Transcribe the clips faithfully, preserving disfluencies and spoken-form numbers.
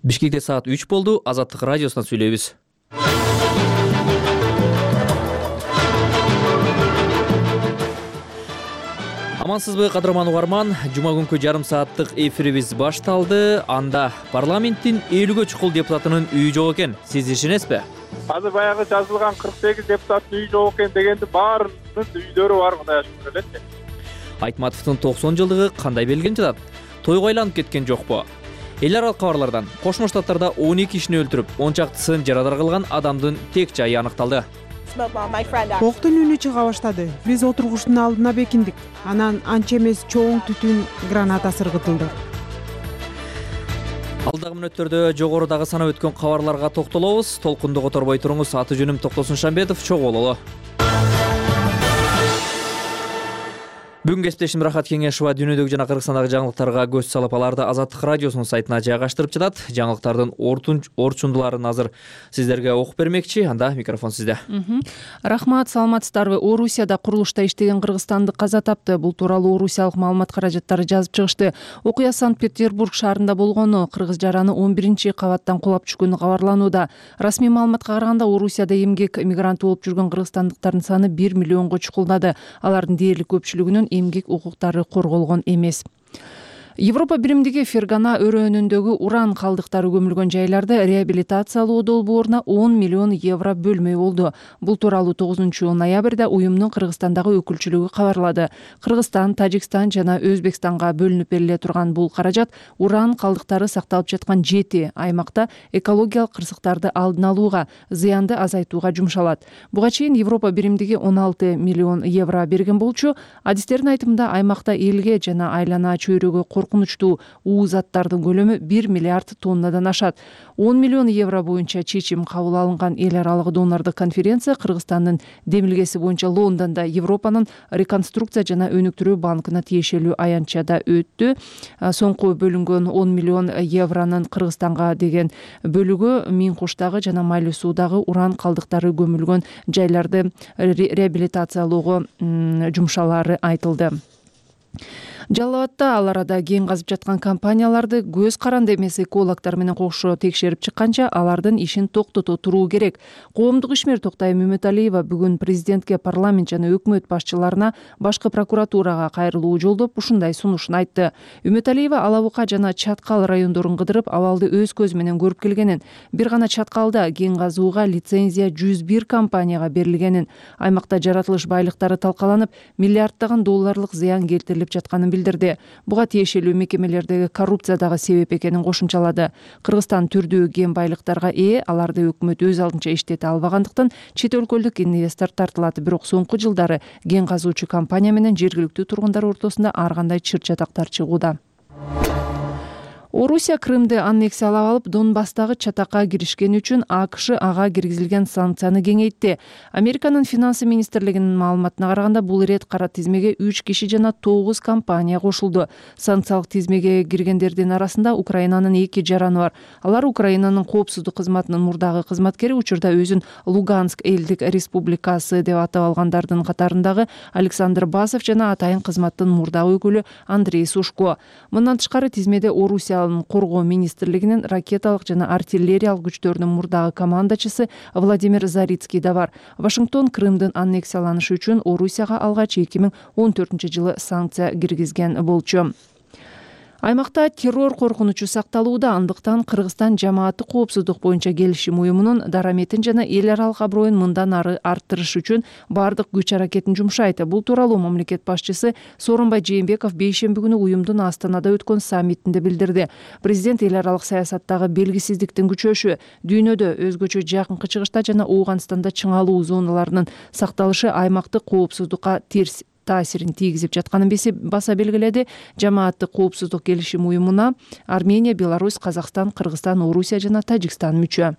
Бишкекте саат үч болду. Азаттык радиосунан сүйлөйбүз. Амансызбы, кадырман угарман. Жума күнкү жарым сааттык эфирибиз башталды. Анда парламенттин элүүгө чукул депутатынын үйү жок экен. Сиз ишенесизби? Азыр баягы жазылган кырк сегиз депутаттын үйү жок экен дегенди баарынын үйдөрү бар, Кудайга шүгүр элечи. Айтматовдун токсон жылдыгы кандай белгиленип жатат? Тойго айланып кеткен жокпу? Эл аралык кабарлардан Кошмо Штаттарда он эки кишини өлтүрүп, он чактысын жарадар кылган адамдын тек жайы аныкталды. Октун үнү чыга баштады. Биз отургучтун алдына бекиндик. Анан анча эмес чоң түтүн граната сыргытылды. Алдагы мүнөттөрдө жогорудагы санап өткөн кабарларга токтолобуз. Толкунду которбой туруңуз. Аты жөнүм Токтосун Шамбетов. Чогуу бололу. Бүгүн кесиптешим Рахат Кеңешова дүйнөдөгү жана Кыргызстандагы жаңылыктарга көз салып, аларды Азаттык радиосунун сайтына жайгаштырып жатат. Жаңылыктардын орчундуларын азыр сиздерге окуп бермекчи. Анда микрофон сизде. Рахмат, саламатсыздарбы? Орусияда курулушта иштеген кыргызстандык каза тапты. Бул тууралуу орусиялык маалымат каражаттары жазып чыгышты. Окуя Санкт-Петербург шаарында болгону, кыргыз жараны он биринчи кабаттан кулап түшкөнү кабарланууда. Расмий маалыматка караганда, Орусияда эмгек мигранты болуп жүргөн кыргызстандыктардын саны бир миллионго чукулдады. Алардын дээрлик көпчүлүгүнүн эмгек укуктары корголгон эмес. Европа биримдиги Фергана өрөөнүндөгү уран калдыктары көмүлгөн жайларды реабилитациялоо долбооруна он миллион евро бөлмөй болду. Бул тууралуу тогузунчу ноябрда уюмдун Кыргызстандагы өкүлчүлүгү кабарлады. Кыргызстан, Тажикстан жана Өзбекстанга бөлүнүп бериле турган бул каражат уран калдыктары сакталып жаткан жети аймакта экологиялык кырсыктарды алдын алууга, зыянды азайтууга жумшалат. Буга чейин Европа биримдиги он алты миллион евро берген болчу. Адистердин айтымында, аймакта элге жана айлана чөйрөгө коркунучтуу уу заттардын көлөмү бир миллиард тоннадан ашат. он миллион евро боюнча чечим кабыл алынган эл аралык донорлук конференция Кыргызстандын демилгеси боюнча Лондондо Европанын реконструкция жана өнүктүрүү банкына тиешелүү аянтчада өттү. Соңку бөлүнгөн он миллион евронун Кыргызстанга деген бөлүгү Миң Куштагы жана Майлуу суудагы уран калдыктары көмүлгөн жайларды реабилитациялоого жумшалары айтылды. Жалал Абадта ал арада кен казып жаткан компанияларды көз каранды эмес экологдор менен кошо текшерип чыкканча алардын ишин токтото туруу керек. Коомдук ишмер Токтайым Үмүталиева бүгүн президентке, парламент жана өкмөт башчыларына, башкы прокуратурага кайрылуу жолдоп ушундай сунушун айтты. Үмүталиева Ала Бука жана Чаткал райондорун кыдырып, абалды өз көзү менен көрүп келгенин, бир гана Чаткалда кен казууга лицензия жүз бир компанияга берилгенин, аймакта жаратылыш байлыктары талкаланып, миллиарддаган долларлык зыян келтирилип жатканын билдирди. Буга тиешелүү мекемелердеги коррупция дагы себеп экенин кошумчалады. Кыргызстан түрдүү кен байлыктарга ээ, аларды өкмөт өз алдынча иштете албагандыктан чет өлкөлүк инвестор тартылат. Бирок соңку жылдары кен казуучу компания менен жергиликтүү тургундар ортосунда ар кандай чыр-чатактар чыгууда. Орусия Крымды аннексиялап алып, Донбасстагы чатакка киришкени үчүн АКШ ага киргизилген санкцияны кеңейтти. Американын финансы министрлигинин маалыматына караганда, бул ирет кара тизмеге үч киши жана тогуз компания кошулду. Санкциялык тизмеге киргендердин арасында Украинанын эки жараны бар. Алар Украинанын коопсуздук кызматынын мурдагы кызматкери, учурда өзүн Луганск элдик республикасы деп атап алгандардын катарындагы Александр Басов жана атайын кызматтын мурдагы өкүлү Андрей Сушко. Мындан тышкары тизмеде Орусия коргоо министрлигинин ракеталык жана артиллериялык күчтөрүнүн мурдагы командачысы Владимир Зарицкий да бар. Вашингтон Крымдын аннексияланышы үчүн Орусияга алгач эки миң он төртүнчү жылы санкция киргизген болчу. Аймакта террор коркунучу сакталууда, андыктан Кыргызстан жамааттык коопсуздук боюнча келишим уюмунун дараметин жана эл аралык аброюн мындан ары арттырыш үчүн бардык күч аракетин жумшайт. Бул тууралуу мамлекет башчысы Сооронбай Жээнбеков бейшемби күнү уюмдун Астанада өткөн саммитинде билдирди. Президент эл аралык саясаттагы белгисиздиктин күчөшү, дүйнөдө өзгөчө жакынкы чыгышта жана Ооганстанда чыңалуу зоналарынын сакталышы аймактык коопсуздукка терс таасирин тийгизип жатканын баса белгиледи. Жамааттык коопсуздук келишим уюмуна Армения, Беларусь, Казакстан, Кыргызстан, Орусия жана Тажикстан мүчө.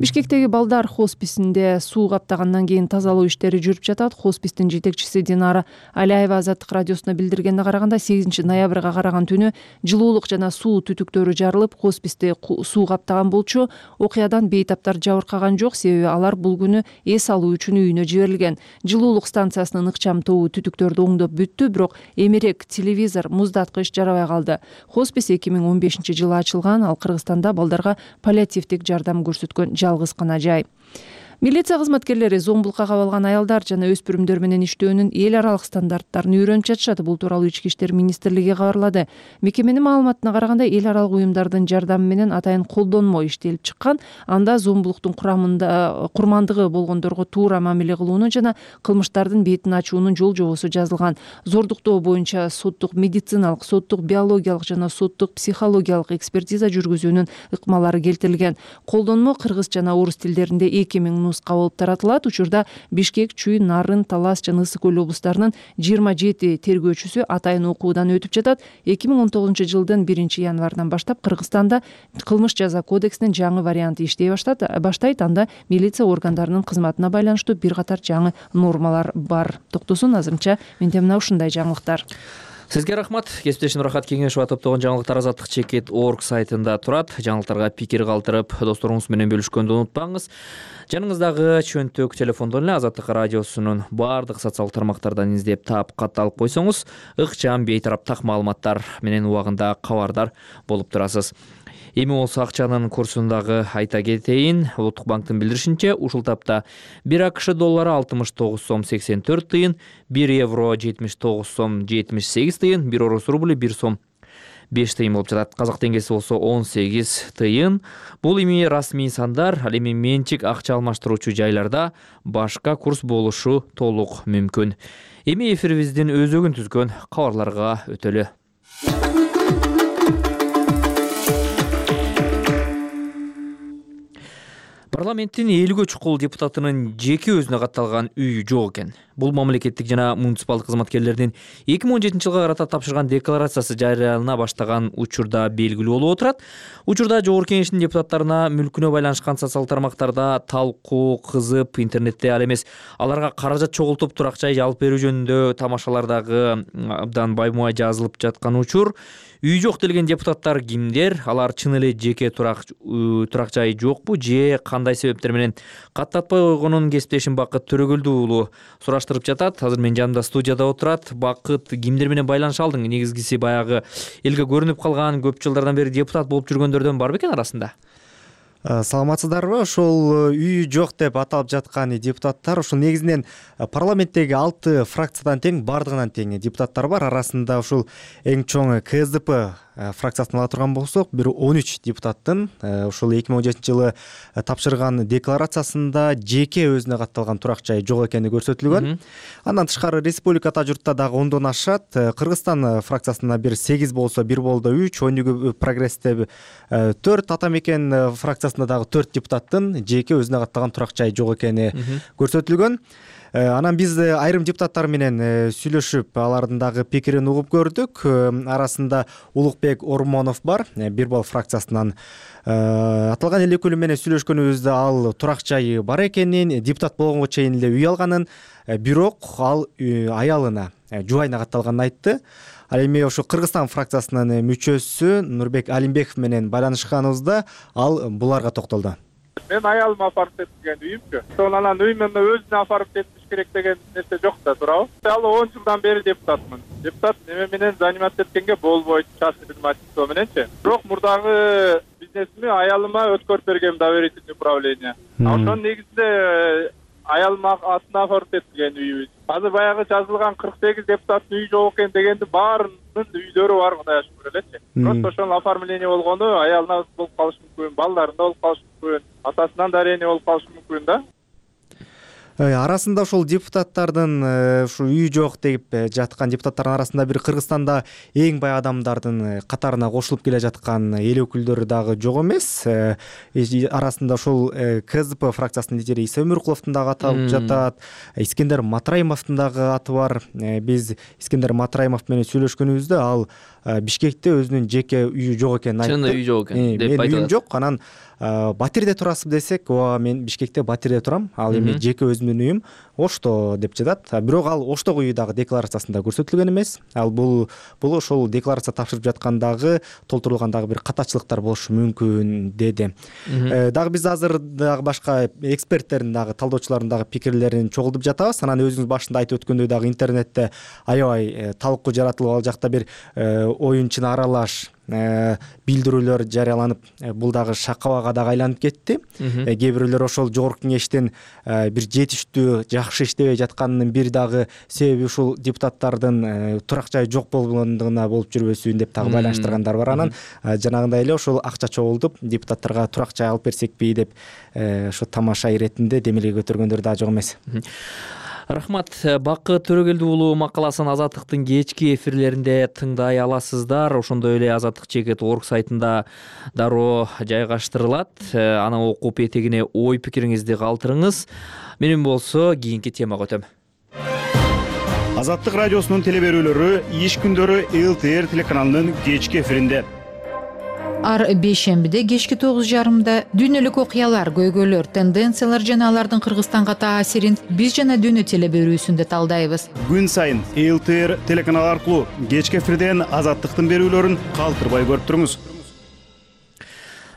Бишкектеги балдар хосписинде суу каптагандан кийин тазалоо иштери жүрүп жатат. Хоспистин жетекчиси Динара Алиева Азаттык радиосуна билдиргенде караганда сегизинчи ноябрга караган түнү жылуулук жана суу түтүктөрү жарылып, хосписти суу каптаган болчу. Окуядан бейтаптар жабыркаган жок, себеби алар бул күнү эс алуу үчүн үйүнө жиберилген. Жылуулук станциясынын ыкчам тобу түтүктөрдү оңдоп бүттү, бирок эмерек, телевизор, муздаткыч жарабай калды. Хоспис эки миң он бешинчи жылы ачылган, ал Кыргызстанда балдарга паллиативдик жардам көрсөткөн жалгыз гана жай. Милиция кызматкерлери зомбулукка кабылган аялдар жана өспүрүмдөр менен иштөөнүн эл аралык стандарттарын үйрөнүп жатышат. Бул тууралуу Ички иштер министрлиги кабарлады. Мекеменин маалыматына караганда, эл аралык уюмдардын жардамы менен атайын колдонмо иштелип чыккан. Анда зомбулуктун курамында курмандыгы болгондорго туура мамиле кылуунун жана кылмыштардын бетин ачуунун жол жобосу жазылган. Зордуктоо боюнча соттук медициналык, соттук биологиялык жана соттук психологиялык экспертиза жүргүзүүнүн ыкмалары келтирилген. Колдонмо кыргыз жана орус тилдеринде эки миң нуска болуп таратылат. Учурда Бишкек, Чүй, Нарын, Талас жана Ысык көл облустарынын жыйырма жети тергөөчүсү атайын окуудан өтүп жатат. эки миң он тогузунчу жылдын биринчи январынан баштап Кыргызстанда кылмыш жаза кодексинин жаңы варианты иштей баштайт. Анда милиция органдарынын кызматына байланыштуу бир катар жаңы нормалар бар. Токтосун азырынча менде мына ушундай жаңылыктар. Сизге рахмат. Кесиптешим Рахат Кеңешова топтогон жаңылыктар азаттык чекит точка орг сайтында турат. Жаңылыктарга пикир калтырып, досторуңуз менен бөлүшкөндү унутпаңыз. Жаныңыздагы чөнтөк телефондон эле Азаттык радиосунун баардык социалдык тармактардан издеп таап, кат алып койсоңуз, ыкчам бейтараптак маалыматтар менен убагында кабардар болуп турасыз. Эми болсо акчанын курсундагы айта кетейин. Улуттук банктын билдиришинче, ушул тапта бир АКШ доллары алтымыш тогуз сом сексен төрт тыйын, бир евро жетимиш тогуз сом жетимиш сегиз тыйын, бир орус рубль бир сом беш тыйын болуп жатат. Казак теңгеси болсо он сегиз тыйын. Бул эми расмий сандар, ал эми менчик акча алмаштыруучу жайларда башка курс болушу толук мүмкүн. Эми эфирибиздин өзөгүн түзгөн кабарларга өтөлү. Парламенттин элүүгө чукул депутатынын жеке өзүнө катталган үйү жок экен. Бул мамлекеттик жана муниципалдык кызматкерлердин эки миң он жетинчи жылга карата тапшырган декларациясы жарыялана баштаган учурда белгилүү болуп отурат. Учурда Жогорку Кеңештин депутаттарына мүлкүнө байланышкан социалдык тармактарда талкуу кызып, интернетте ал эмес аларга каражат чогултуп турак жай алып берүү жөнүндө тамашалардагы абдан баймубай жазылып жаткан учур. Үй жок делген депутаттар кимдер? Алар чын эле жеке турак турак жай жокпу же кандай себептер менен каттатпай койгонун кесиптешим Бакыт Төрөгөлдү уулу сураштырып жатат. Азыр мен жанымда студияда отурат. Бакыт, кимдер менен байланыша алдың? Негизгиси баягы элге көрүнүп калган, көп жылдардан бери депутат болуп жүргөндөрдөн бар бекен арасында? Саламатсыздарбы? Ошол үйү жок деп аталып жаткан депутаттар ушул негизинен парламенттеги алты фракциядан тең, бардыгынан тең депутаттар бар. Арасында ушул эң чоң Ка Эс Д П фракциясын ала турган болсок, бир он үч депутаттын ушул эки миң он жетинчи жылы тапшырган декларациясында жеке өзүнө катталган турак жай жок экени көрсөтүлгөн. Андан тышкары республикада журтта дагы ондон ашат. Кыргызстан фракциясында бир сегиз болсо, бир болдо үч, Өнүгүү прогрессте төрт, Ата мекен фракциясында дагы төрт депутаттын жеке өзүнө катталган турак жай жок экени көрсөтүлгөн. Анан биз айрым депутаттар менен сүйлөшүп, алардын дагы пикирин угуп көрдүк. Арасында Улукбек Ормонов бар, Бир бал фракциясынан. Аталган эл өкүлү менен сүйлөшкөнүбүздө ал турак жайы бар экенин, депутат болгонго чейин эле үй алганын, бирок ал аялына, жубайына катталганын айтты. Ал эми ошо Кыргызстан фракциясынын мүчөсү Нурбек Алимбеков менен байланышканыбызда ал буларга токтолду. Мен аялыма апарып кеткен үйүмчү. Ошол анан үйүмө өзүнө апарып кетиш керек деген нерсе жок да, туурабы? Ал он жылдан бери депутатмын. Депутат неме менен заниматься эткенге болбойт, частный предпринимательство мененчи. Бирок мурдагы бизнесими аялыма өткөрүп бергем, доверительный управление. Ошонун негизинде аялыма атына апарып кеткен үйүбүз. Азыр баягы жазылган кырк сегиз депутаттын үйү жок экен дегенди баарынын үйлөрү бар, Кудайга шүгүр элечи. Просто ошол оформление болгону аялына болуп калышы мүмкүн, балдарында болуп калышы мүмкүн, атасынан дарение болуп калышы мүмкүн да. арасында ошол депутаттардын ушу үй жок деп жаткан депутаттардын арасында бир Кыргызстанда эң бай адамдардын катарына кошулуп келе жаткан эл өкүлдөрү дагы жок эмес. Арасында ошол КЗП фракциясынын лидери Иса Өмүркуловдун дагы аты алып жатат. Искендер Матраимовдун дагы аты бар. Биз Искендер Матраимов менен сүйлөшкөнүбүздө ал Бишкекте өзүнүн жеке үйү жок экенин айтты. Чынында үй жок экен деп айтты. Үйүм жок, анан Батирде турасызбы десек, ооба мен Бишкекте Батирде турам, ал эми жеке өзүмдүн үйүм Ошто деп жатат. Бирок ал Оштогу үйү дагы декларациясында көрсөтүлгөн эмес. Ал бул бул ошол декларация тапшырып жаткандагы толтурулгандагы бир катачылыктар болушу мүмкүн деди. Дагы биз азыр дагы башка эксперттердин дагы талдоочулардын дагы пикирлерин чогултуп жатабыз. Анан өзүңүз башында айтып өткөндөй дагы интернетте аябай талкуу жаратылып, ал жакта бир оюнчуна аралаш билдирүүлөр жарыяланып, бул дагы шакабага дагы айланып кетти. Кээ бирөөлөр ошол жогорку кеңештин бир жетиштүү, жакшы иштебей жатканынын бир дагы себеби ушул депутаттардын турак жайы жок болгондугуна болуп жүрбөсүн деп дагы байланыштыргандар бар. Анан жанагындай эле ошол акча чогултуп, депутаттарга турак жай алып берсекпи деп ошо тамаша иретинде демилге көтөргөндөр дагы жок эмес. Рахмат. Бакыт Төрөгелди уулу макаласын Азаттыктын кечки эфирлеринде тыңдай аласыздар. Ошондой эле Азаттык чекит орг сайтында дароо жайгаштырылат. Аны окуп этегине ой пикириңизди калтырыңыз. Менин болсо кийинки темага өтөм. Азаттык радиосунун телеберүүлөрү иш күндөрү эл ти эр телеканалынын кечки эфиринде. Ар бейшембиде кечки тогуз жарымда дүйнөлүк окуялар, көйгөйлөр, тенденциялар жана алардын Кыргызстанга таасирин биз жана дүйнө телеберүүсүндө талдайбыз. Күн сайын эл ти эр телеканалы аркылуу кечки эфирден Азаттыктын берүүлөрүн калтырбай көрүп туруңуз.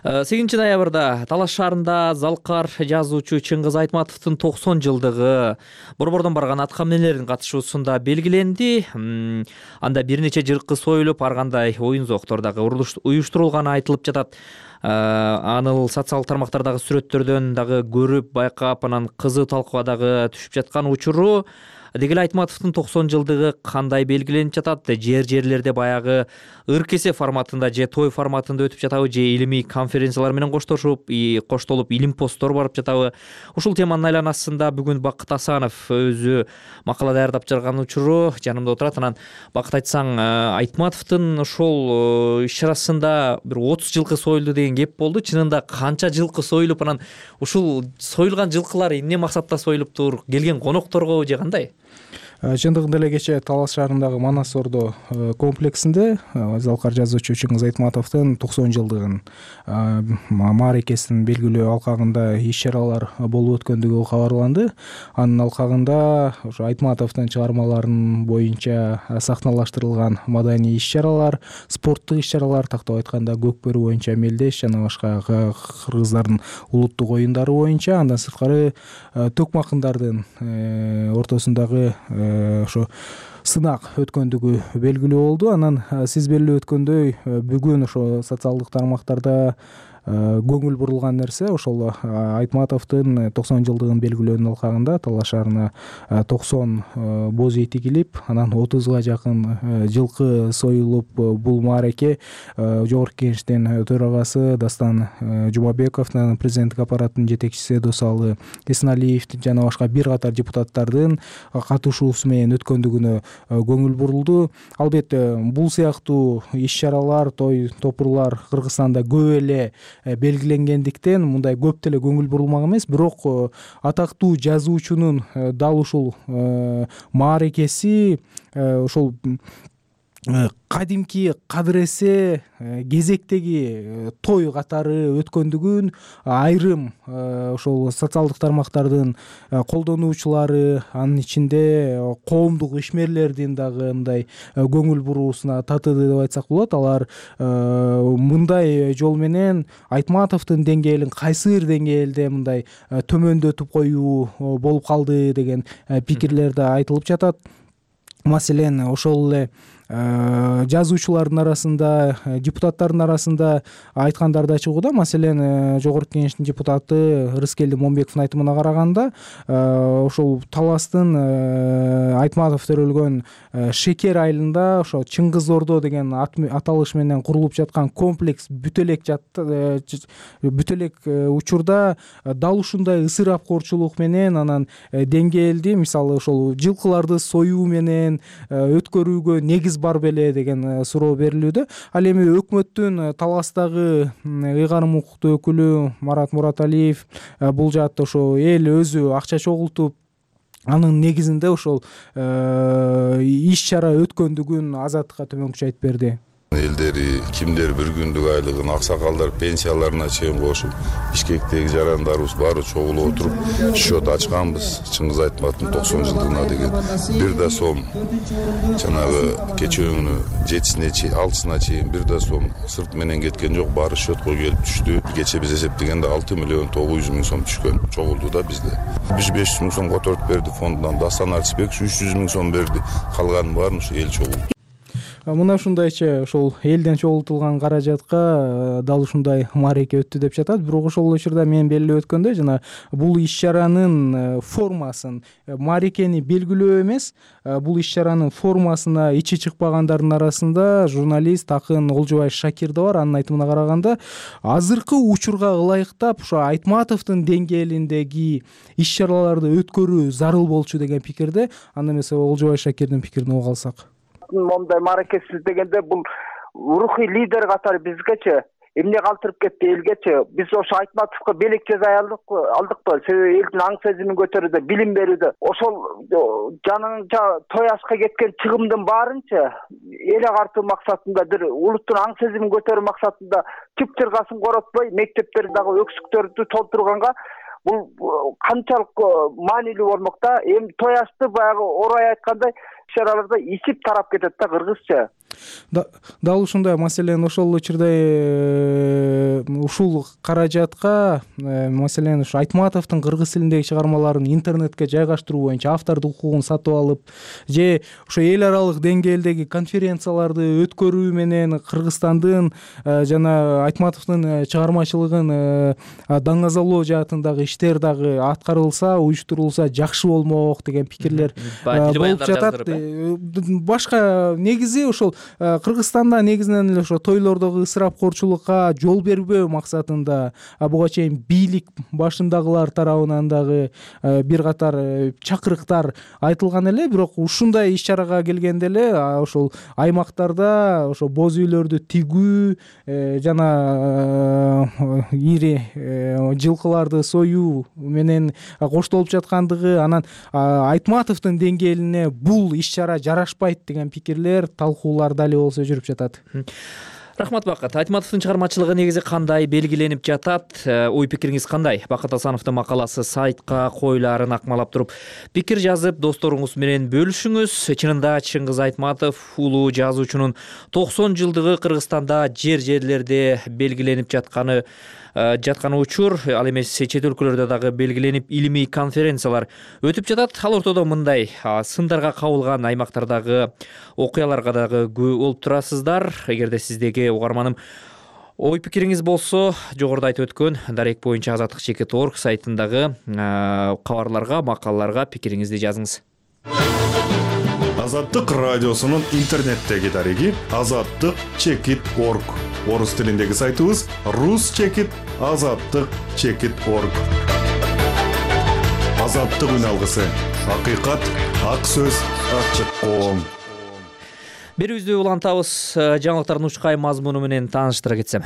сегизинчи ноябрда Талаш шаарында залкар жазуучу Чыңгыз Айтматовдун токсон жылдыгы борбордон барган аткаминерлердин катышуусунда белгиленди. Анда бир нече жылкы союлуп, ар кандай оюн зоктор дагы уюштурулганы айтылып жатат. Аны социалдык тармактардагы сүрөттөрдөн дагы көрүп, байкап, анан кызуу талкууга дагы түшүп жаткан учуру. Деги эле Айтматовдун токсон жылдыгы кандай белгиленип жатат? Жер жерлерде баягы ыр-кесе форматында же той форматында өтүп жатабы, же илимий конференциялар менен коштошуп, коштолуп илим посттор барып жатабы? Ушул теманын айланасында бүгүн Бакыт Асанов өзү макала даярдап чыгарган учуру жанымда отурат. Анан Бакыт, айтсаң, Айтматовдун ошол иш-чарасында бир отуз жылкы союлду деген кеп болду. Чынында канча жылкы союлуп, анан ушул союлган жылкылар эмне максатта союлуптур? Келген конокторго же кандай? Чындыгында эле кечээ Талас шаарындагы Манас Ордо комплексинде залкар жазуучу Чыңгыз Айтматовдун токсон жылдыгын мааракесин белгилөө алкагында иш-чаралар болуп өткөндүгү кабарланды. Анын алкагында ошо Айтматовдун чыгармаларынын боюнча сахналаштырылган маданий иш-чаралар, спорттук иш-чаралар, тактап айтканда көкбөрү боюнча мелдеш жана башка кыргыздардын улуттук оюндары боюнча, андан сырткары төкмакындардын ортосундагы ошо сынак өткөндүгү белгилүү болду. Анан сиз белгилеп өткөндөй, бүгүн ошо социалдык тармактарда көңүл бурулган нерсе ошол Айтматовдун токсон жылдыгын белгилөөнүн алкагында Талаш шаарына токсон боз ий тигилип, анан отузга жакын жылкы союлуп, бул маареке жогорку кеңештин төрагасы Дастан Жумабековдун, президенттик аппараттын жетекчиси Досалы Эсеналиев жана башка бир катар депутаттардын катышуусу менен өткөндүгүнө көңүл бурулду. Албетте бул сыяктуу иш-чаралар, той топурлар Кыргызстанда көп эле белгиленгендиктен мындай көп деле көңүл бурулмак эмес. Бирок атактуу жазуучунун дал ушул мааракеси ошол кадимки кадыресе кезектеги той катары өткөндүгүн айрым ошол социалдык тармактардын колдонуучулары, анын ичинде коомдук ишмерлердин дагы мындай көңүл буруусуна татыды деп айтсак болот. Алар мындай жол менен Айтматовдун деңгээлин кайсы бир деңгээлде мындай төмөндөтүп коюу болуп калды деген пикирлер да айтылып жатат. Маселен, ошол эле жазуучулардын арасында, депутаттардын арасында айткандар да чыгууда. Маселен, жогорку кеңештин депутаты Рыскелди Момбековдун айтымына караганда, ошол таластын Айтматов төрөлгөн Шекер айылында ошо Чыңгыз Ордо деген аталыш менен курулуп жаткан комплекс бүт элек бүт элек учурда дал ушундай ысырапкорчулук менен, анан деңгээлди, мисалы ошол жылкыларды союу менен өткөрүүгө негиз бар беле деген суроо берилүүдө. Ал эми өкмөттүн таластагы ыйгарым укуктуу өкүлү Марат Мураталиев бул жаатта ошо эл өзү акча чогултуп, анын негизинде ошол иш чара өткөндүгүн Азаттыкка төмөнкүчө айтып берди. Элдери кимдер бир күндүк айлыгын, аксакалдар пенсияларына чейин кошуп, Бишкектеги жарандарыбыз баары чогулуп отуруп счет ачканбыз. Чыңгыз Айтматовдун токсон жылдыгына деген бир да сом жанагы кечөөңүнү жетисине чейин, алтысына чейин бир да сом сырт менен кеткен жок, баары счетко келип түштү. Кече биз эсептегенде алты миллион тогуз жүз миң сом түшкөн, чогулду да бизде. Биз беш жүз миң сом которуп берди фондунан, Дастан Арчыбек үч жүз миң сом берди, калганын баарын ушу эл чогулду. Мына ушундайча ошол элден чогултулган каражатка дал ушундай маареке өттү деп жатат. Бирок ошол учурда мен белгилеп өткөндөй, жана бул иш чаранын формасын, маарекени белгилөө эмес, бул иш чаранын формасына ичи чыкпагандардын арасында журналист акын Олжобай Шакир да бар. Анын айтымына караганда, азыркы учурга ылайыктап ошо Айтматовдун деңгээлиндеги иш чараларды өткөрүү зарыл болчу деген пикирде. Анда эмесе Олжобай Шакирдин пикирин угуп алсак. Мондай мааракесиз дегенде бул рухий лидер катары бизгечи эмне калтырып кетти элгечи. Биз ошо Айтматовго белек жасай алдыкпы? Себеби элдин аң сезимин көтөрүүдө, билим берүүдө, ошол жаныңча той ашка кеткен чыгымдын баарынча эл агартуу максатында, бир улуттун аң сезимин көтөрүү максатында чып чыргасын коротпой, мектептерди дагы өксүктөрдү толтурганга бул канчалык маанилүү болмок да. Эми той ашты баягы орой айткандай чараларда исип тарап кетет да кыргызча. Дал ушундай. Маселен, ошол учурда ушул каражатка, маселен, ушу Айтматовдун кыргыз тилиндеги чыгармаларын интернетке жайгаштыруу боюнча автордук укугун сатып алып, же ошо эл аралык деңгээлдеги конференцияларды өткөрүү менен Кыргызстандын жана Айтматовдун чыгармачылыгын даңазалоо жаатындагы иштер дагы аткарылса, уюштурулса жакшы болмок деген пикирлер болуп жатат. Башка негизи ошол Кыргызстанда негизинен эле ошо тойлордогу ысырапкорчулукка жол бербөө максатында буга чейин бийлик башындагылар тарабынан дагы бир катар чакырыктар айтылган эле. Бирок ушундай иш чарага келгенде эле ошол аймактарда ошо боз үйлөрдү тигүү жана ири жылкыларды союу менен коштолуп жаткандыгы, анан Айтматовдун деңгээлине бул иш чара жарашпайт деген пикирлер, талкуулар дали болсо жүрүп жатат. Рахмат, Бакыт. Айтматовдун чыгармачылыгы негизи кандай белгиленип жатат? Ой пикириңиз кандай? Бакыт Асановдун макаласы сайтка коюларын акмалап туруп пикир жазып, досторуңуз менен бөлүшүңүз. Чынында Чыңгыз Айтматов улуу жазуучунун токсон жылдыгы Кыргызстанда жер-жерлерде белгиленип жатканы жатканы учур, ал эмес чет өлкөлөрдө дагы белгиленип илимий конференциялар өтүп жатат. Ал ортодо мындай сындарга кабылган аймактардагы окуяларга дагы күбө болуп турасыздар. Эгерде сиздеги угарманым ой пикириңиз болсо, жогоруда айтып өткөн дарек боюнча азаттык чекит точка орг сайтындагы кабарларга, макалаларга пикириңизди жазыңыз. Азаттык радиосунун интернеттеги дареги азаттык чекит точка орг. Орус тилиндеги сайтыбыз рус чекит азаттык чекит точка орг. Азаттык үн алгысы. Акыйкат, ак сөз, ачык коом. Берүүбүздү улантабыз. Жаңылыктардын учкай мазмуну менен тааныштыра кетсем.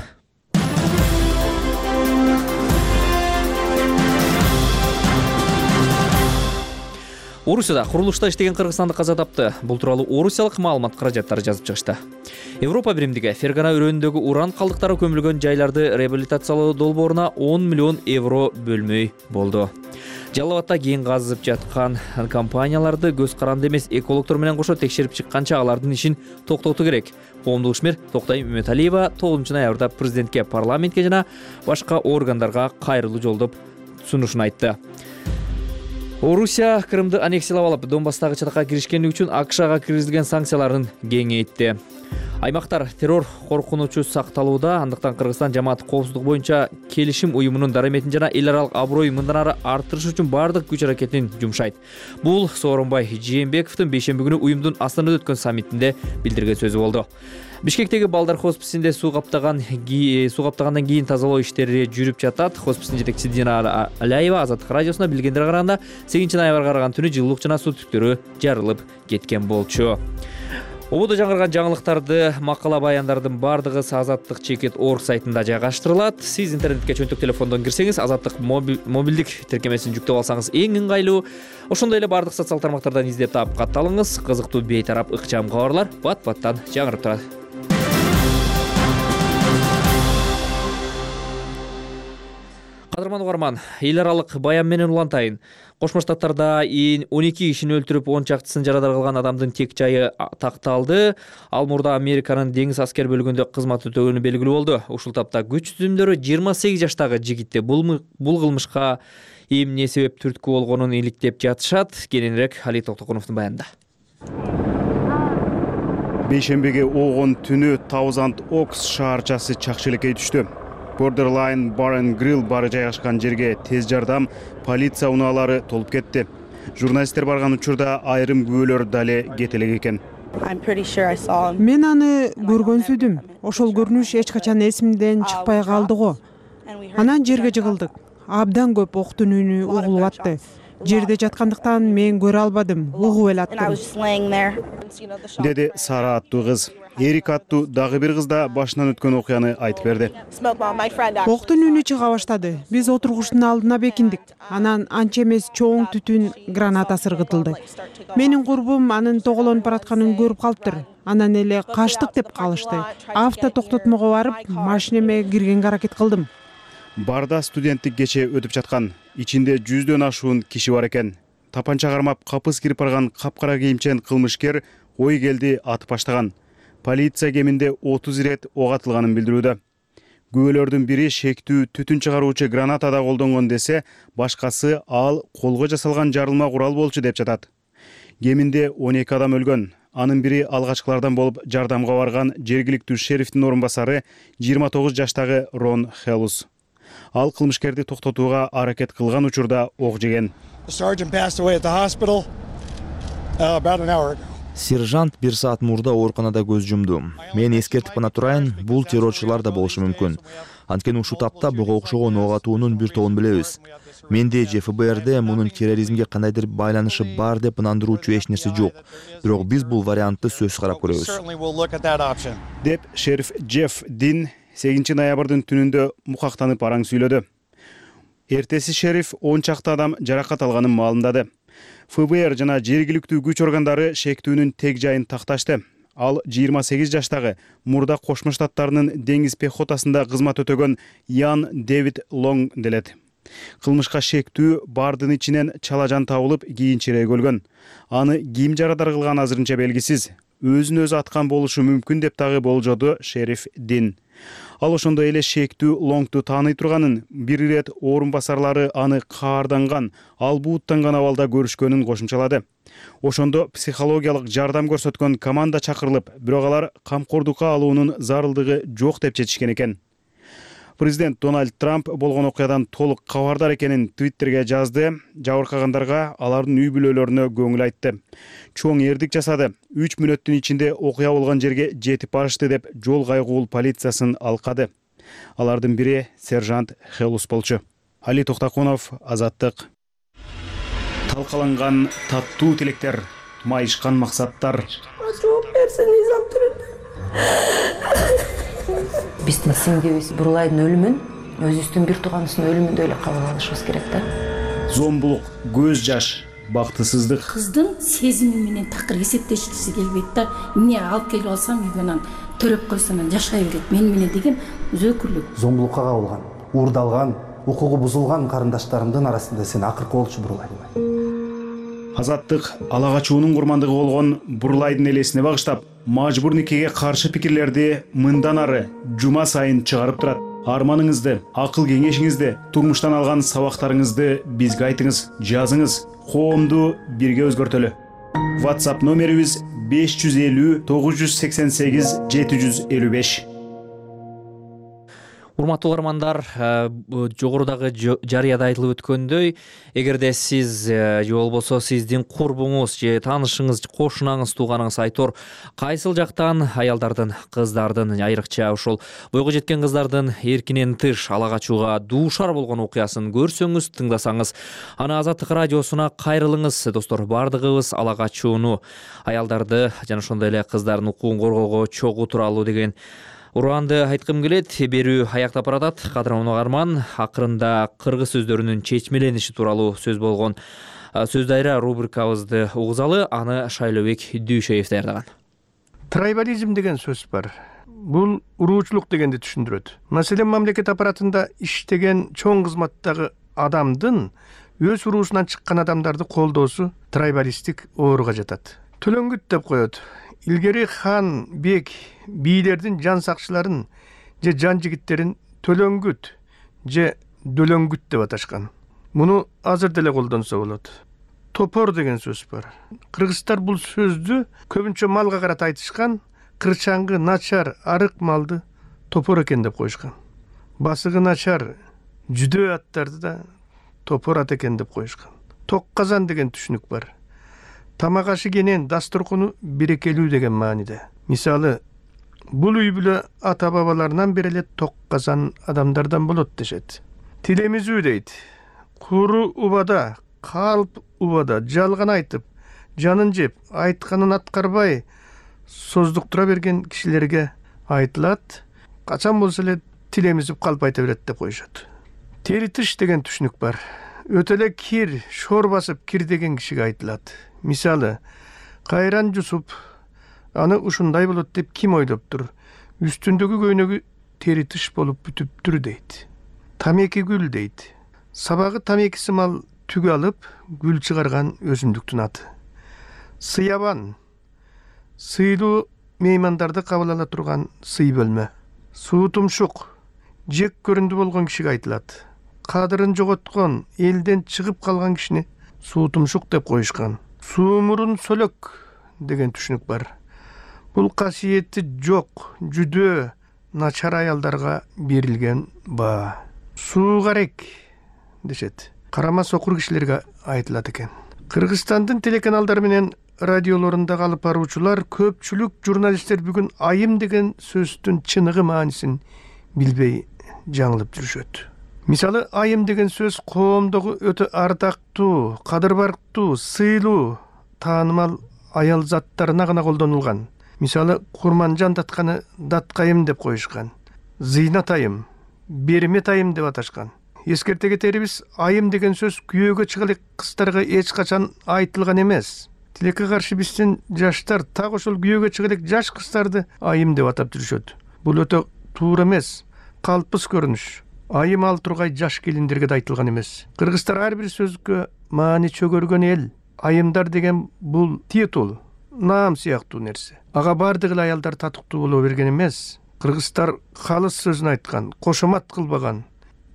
Орусияда курулушта иштеген кыргызстандык каза тапты. Бул тууралуу орусиялык маалымат каражаттары жазып чыгышты. Европа биримдиги Фергана өрөөнүндөгү уран калдыктары көмүлгөн жайларды реабилитациялоо долбооруна он миллион евро бөлмөй болду. Жалал Абадта кийин казып жаткан компанияларды көз каранды эмес экологдор менен кошо текшерип чыкканча алардын ишин токтотуу керек. Коомдук ишмер Токтой Үмөталиева тогузунчу ноябрда президентке, парламентке жана башка органдарга кайрылуу жолдоп сунушун айтты. Орусия Крымды аннексиялап алып, Донбасстагы чатакка киришкендиги үчүн АКШга киргизилген санкцияларын кеңейтти. Аймактар террор коркунучу сакталууда, андыктан Кыргызстан жамаат коопсуздук боюнча келишим уюмунун дараметин жана эл аралык аброй мындан ары арттырыш үчүн бардык күч аракетин жумшайт. Бул Сооронбай Жээнбековдун бейшемби күнү уюмдун Астанада өткөн саммитинде билдирген сөзү болду. Бишкектеги балдар хосписинде суу каптаган суу каптагандан кийин тазалоо иштери жүрүп жатат. Хоспистин жетекчиси Дина Аляева Азаттык радиосуна билгендерге караганда сегизинчи ноябрга караган түнү жылуулук жана суу түптөрү жарылып кеткен болчу. Ободо жаңырган жаңылыктарды, макала баяндардын бардыгы Азаттык чекит орг сайтында жайгаштырылат. Сиз интернетке чөнтөк телефондон кирсеңиз, Азаттык мобилдик тиркемесин жүктөп алсаңыз эң ыңгайлуу. Ошондой эле бардык социал тармактардан издеп таап катталыңыз. Кызыктуу бейтарап ыкчам кабарлар бат-баттан жаңырып турат. Кадырман угарман, эл аралык баян менен улантайын. Кошмо Штаттарда он эки кишини өлтүрүп, он чактысын жарадар кылган адамдын тек жайы такталды. Ал мурда Американын деңиз аскер бөлүгүндө кызмат өтөгөнү белгилүү болду. Ушул тапта күч түзүмдөрү жыйырма сегиз жаштагы жигитти бул бул кылмышка эмне себеп түрткү болгонун иликтеп жатышат. Кененирээк Али Токтокуновдун баянында. Бейшембиге огон түнү Thousand Oaks шаарчасы чакчелекке түштү. Borderline Bar and Grill бары жайгашкан жерге тез жардам, полиция унаалары толуп кетти. Журналисттер барган учурда айрым күбөлөр дале кетелек экен. Мен аны көргөнсүдүм. Ошол көрүнүш эч качан эсимден чыкпай калды го. Анан жерге жыгылдык. Абдан көп октун үнү угулуп атты. Жерде жаткандыктан мен көрө албадым, угуп эле аттым. Деди Сара аттуу кыз. Эрик аттуу дагы бир кыз да башынан өткөн окуяны айтып берди. Октун үнү чыга баштады. Биз отургучтун алдына бекиндик. Анан анча эмес чоң түтүн граната сыргытылды. Менин курбум анын тоголонуп баратканын көрүп калыптыр. Анан эле качтык деп калышты. Авто токтотмого барып, машинеме киргенге аракет кылдым. Барда студенттик кече өтүп жаткан. Ичинде жүздөн ашуун киши бар экен. Тапанча кармап капыс кирип барган капкара кийимчен кылмышкер ой келди атып баштаган. Полиция кеминде отуз ирет ок атылганын билдирүүдө. Күбөлөрдүн бири шектүү түтүн чыгаруучу гранатада колдонгон десе, башкасы ал колго жасалган жарылма курал болчу деп жатат. Кеминде он эки адам өлгөн. Анын бири алгачкылардан болуп жардамга барган жергиликтүү шерифтин орун басары жыйырма тогуз жаштагы Рон Хелус. Ал кылмышкерди токтотууга аракет кылган учурда ок жеген. Сержант бир саат мурда ооруканада көз жумду. Мен эскертип гана турайын, бул террорчулар да болушу мүмкүн. Анткени ушул тапта буга окшогон ок атуунун бир тобун билебиз. Менде же эф бэ эрде мунун терроризмге кандайдыр байланышы бар деп ынандыруучу эч нерсе жок. Бирок биз бул вариантты сөзсүз карап көрөбүз. Деп шериф Джефф Дин сегизинчи ноябрдын түнүндө мукактанып араң сүйлөдү. Эртеси шериф он чакты адам жаракат алганын маалымдады. эф бэ эр жана жергиликтүү күч органдары шектүүнүн тег жайын такташты. Ал жыйырма сегиз жаштагы мурда Кошмо Штаттарынын деңиз пехотасында кызмат өтөгөн Ян Дэвид Лонг делет. Кылмышка шектүү бардын ичинен чалажан табылып, кийинчерээк өлгөн. Аны ким жарадар кылган азырынча белгисиз. Өзүн өзү аткан болушу мүмкүн деп дагы болжоду шериф Дин. Ал ошондой эле шектүү Лонгду тааный турганын, бир ирет орун басарлары аны каарданган, албууттанган абалда көрүшкөнүн кошумчалады. Ошондо психологиялык жардам көрсөткөн команда чакырылып, бирок алар камкордукка алуунун зарылдыгы жок деп чечишкен экен. Президент Дональд Трамп болгон окуядан толук кабардар экенин Твиттерге жазды. Жабыркагандарга алардын үй бүлөлөрүнө көңүл айтты. Чоң эрдик жасады. үч мүнөттүн ичинде окуя болгон жерге жетип барышты деп жол кайгуул полициясын алкады. Алардын бири сержант Хелус болчу. Али Токтокунов, Азаттык. Талкаланган таттуу тилектер, майышкан максаттар. Биздин сиңдибиз Бурлайдын өлүмүн өзүбүздүн бир тууганыбыздын өлүмүндөй эле кабыл алышыбыз керек да. Зомбулук, көз жаш, бактысыздык. Кыздын сезими менен такыр эсептешкиси келбейт да. Эмне алып келип алсам үйгө анан төрөп койсом анан жашай берет. Мен менен деген өзөкүрлүк. Зомбулукка кабылган, уурдалган, укугу бузулган карындаштарымдын арасында сен акыркы болчу Бурлай. Азаттык ала качуунун курмандыгы болгон Бурлайдын элесине багыштап, мажбур никеге каршы пикирлерди мындан ары жума сайын чыгарып турат. арманыңызды, акыл кеңешиңизди, турмуштан алган сабактарыңызды бизге айтыңыз, жазыңыз. Коомду бирге өзгөртөлү. WhatsApp номерибиз беш жүз элүү тогуз жүз сексен сегиз жети жүз элүү беш. Урматтуу угармандар, жогорудагы жарыяда айтылып өткөндөй, эгерде сиз же болбосо сиздин курбуңуз же таанышыңыз, кошунаңыз, тууганыңыз айтор кайсыл жактан аялдардын, кыздардын, айрыкча ошол бойго жеткен кыздардын эркинен тыш ала качууга дуушар болгон окуясын көрсөңүз, тыңдасаңыз, аны Азаттык радиосуна кайрылыңыз. Достор, бардыгыбыз ала качууну, аялдарды жана ошондой эле кыздардын укугун коргоого чогуу туралуу деген ураанды айткым келет. Берүү аяктап баратат. Кадырман угарман, акырында кыргыз сөздөрүнүн чечмелениши тууралуу сөз болгон сөз дайра рубрикабызды угузалы. Аны Шайлообек Дүйшеев даярдаган. Трайбализм деген сөз бар. Бул уруучулук дегенди түшүндүрөт. Маселен, мамлекет аппаратында иштеген чоң кызматтагы адамдын өз уруусунан чыккан адамдарды колдоосу трайбалисттик ооруга жатат. Төлөңгүт деп коет. Илгери хан, бек, бийлердин жан сакчыларын же жан жигиттерин төлөңгүт же дөлөңгүт деп аташкан. Муну азыр деле колдонсо болот. Топор деген сөз бар. Кыргыздар бул сөздү көбүнчө малга карата айтышкан, кырчаңгы, начар, арык малды топор экен деп коюшкан. Басыгы начар, жүдөө аттарды да топор ат экен деп коюшкан. Ток казан деген түшүнүк бар. Тамак ашы кенен, дасторкону берекелүү деген мааниде. Мисалы, бул үй бүлө ата бабаларынан бери эле ток казан адамдардан болот дешет. Тилемизүү дейт. Куру убада, калп убада жалган айтып, жанын жеп, айтканын аткарбай создуктура берген кишилерге айтылат. Качан болсо эле тилемизип калп айта берет деп коюшат. Тери тыш деген түшүнүк бар. Өтө эле кир, шор басып кир деген кишиге айтылат. Мисалы, кайран жусуп, аны ушундай болот деп ким ойлоптур? Үстүндөгү көйнөгү тери тыш болуп бүтүптүр дейт. Тамеки гүл дейт. Сабагы тамекиси мал түгү алып, гүл чыгарган өсүмдүктүн аты. Сыябан, сыйлуу меймандарды кабыл ала турган сый бөлмө. Суу тумшук, жек көрүндү болгон кишиге айтылат. Кадырын жоготкон, элден чыгып калган кишини суу тумшук деп коюшкан. Суумурун сөлөк деген түшүнүк бар. Бул касиети жок, жүдөө, начар аялдарга берилген баа. Суугарек дешет. Карама сокур кишилерге айтылат экен. Кыргызстандын телеканалдары менен радиолорунда алып баруучулар, көпчүлүк журналисттер бүгүн айым деген сөздүн чыныгы маанисин билбей жаңылып жүрүшөт. Мисалы, айым деген сөз коомдогу өтө ардактуу, кадыр барктуу, сыйлуу, таанымал аял заттарына гана колдонулган. Мисалы, Курманжан датканы даткайым деп коюшкан. Зыйнат айым, бермет айым деп аташкан. Эскерте кетерибиз, айым деген сөз күйөөгө чыга элек кыздарга эч качан айтылган эмес. Тилекке каршы биздин жаштар так ошол күйөөгө чыга элек жаш кыздарды айым деп атап жүрүшөт. Бул өтө туура эмес, калпыс көрүнүш. Айым ал тургай жаш келиндерге да айтылган эмес. Кыргыздар ар бир сөзгө маани чөгөргөн эл. Айымдар деген бул титул, наам сыяктуу нерсе. Ага бардык эле аялдар татыктуу боло берген эмес. Кыргыздар калыс сөзүн айткан, кошомат кылбаган,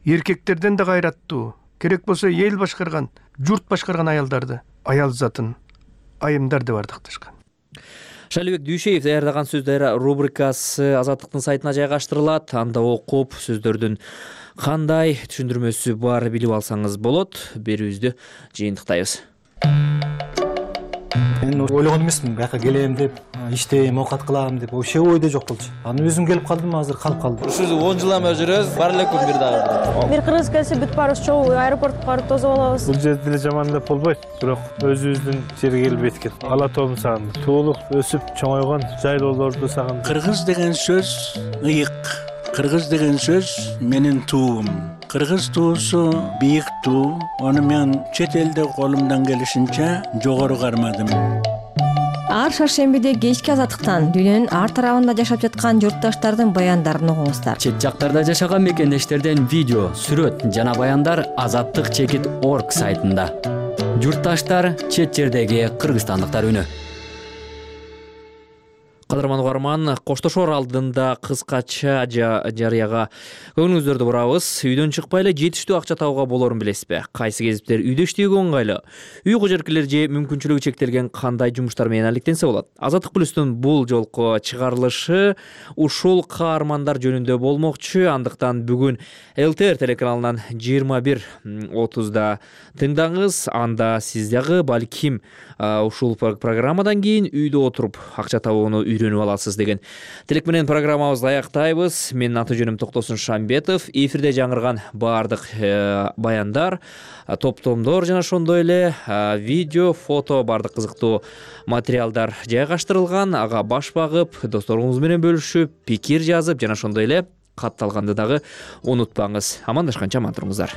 эркектерден да кайраттуу, керек болсо эл башкарган, журт башкарган аялдарды, аял затын айымдар деп ардакташкан. Шайлообек Дүйшеев даярдаган сөз дайра рубрикасы Азаттыктын сайтына жайгаштырылат. Анда окуп, сөздөрдүн кандай түшүндүрмөсү бар билип алсаңыз болот. Берүүбүздү жыйынтыктайбыз. Мен ойлогон эмесмин, бияка келем деп, иштейм, оокат кылам деп, вообще ойдо жок болчу. Аны өзүм келип калдым, азыр калып калдым. Ушул он жылдан бери жүрөбүз, бар эле күн бир дагы. Бир кыргыз келсе бүт барыбыз чогуу аэропортко барып тосуп алабыз. Бул жерде деле жаман деп болбойт, бирок өзүбүздүн жерге келип эткен. Ала тоомду сагындым. Туулуп, өсүп, чоңойгон жайлоолорду сагындым. Кыргыз деген сөз ыйык. Кыргыз деген сөз менин туум. Кыргыз туусу бийик туу. Аны мен чет элде колумдан келишинче жогору кармадым. Ар шаршембиде кечки Азаттыктан дүйнөнүн ар тарабында жашап жаткан журтташтардын баяндарын угуңуздар. Чет жактарда жашаган мекендештерден видео, сүрөт жана баяндар азаттык чекит точка орг сайтында. Журтташтар, чет жердеги кыргызстандыктар үнү. Кадырман угарман, коштошор алдында кыскача жарыяга көңүлүңүздөрдү бурабыз. Үйдөн чыкпай эле жетиштүү акча табууга болорун билесизби? Кайсы кесиптер үйдө иштөөгө оңгайлуу? Үй кожоркелер же мүмкүнчүлүгү чектелген кандай жумуштар менен алектенсе болот? Азаттык плюстун бул жолку чыгарылышы ушул каармандар жөнүндө болмокчу. Андыктан бүгүн эл тэ эр телеканалынан жыйырма бир отузда тыңдаңыз. Анда сиз дагы балким ушул программадан кийин үйдө отуруп акча табууну үйрөнүп аласыз деген тилек менен программабызды аяктайбыз. Менин аты жөнүм Токтосун Шамбетов. Эфирде жаңырган баардык баяндар, топтомдор жана ошондой эле видео, фото, баардык кызыктуу материалдар жайгаштырылган. Ага баш багып, досторуңуз менен бөлүшүп, пикир жазып жана ошондой эле катталганды дагы унутпаңыз. Амандашканча аман туруңуздар.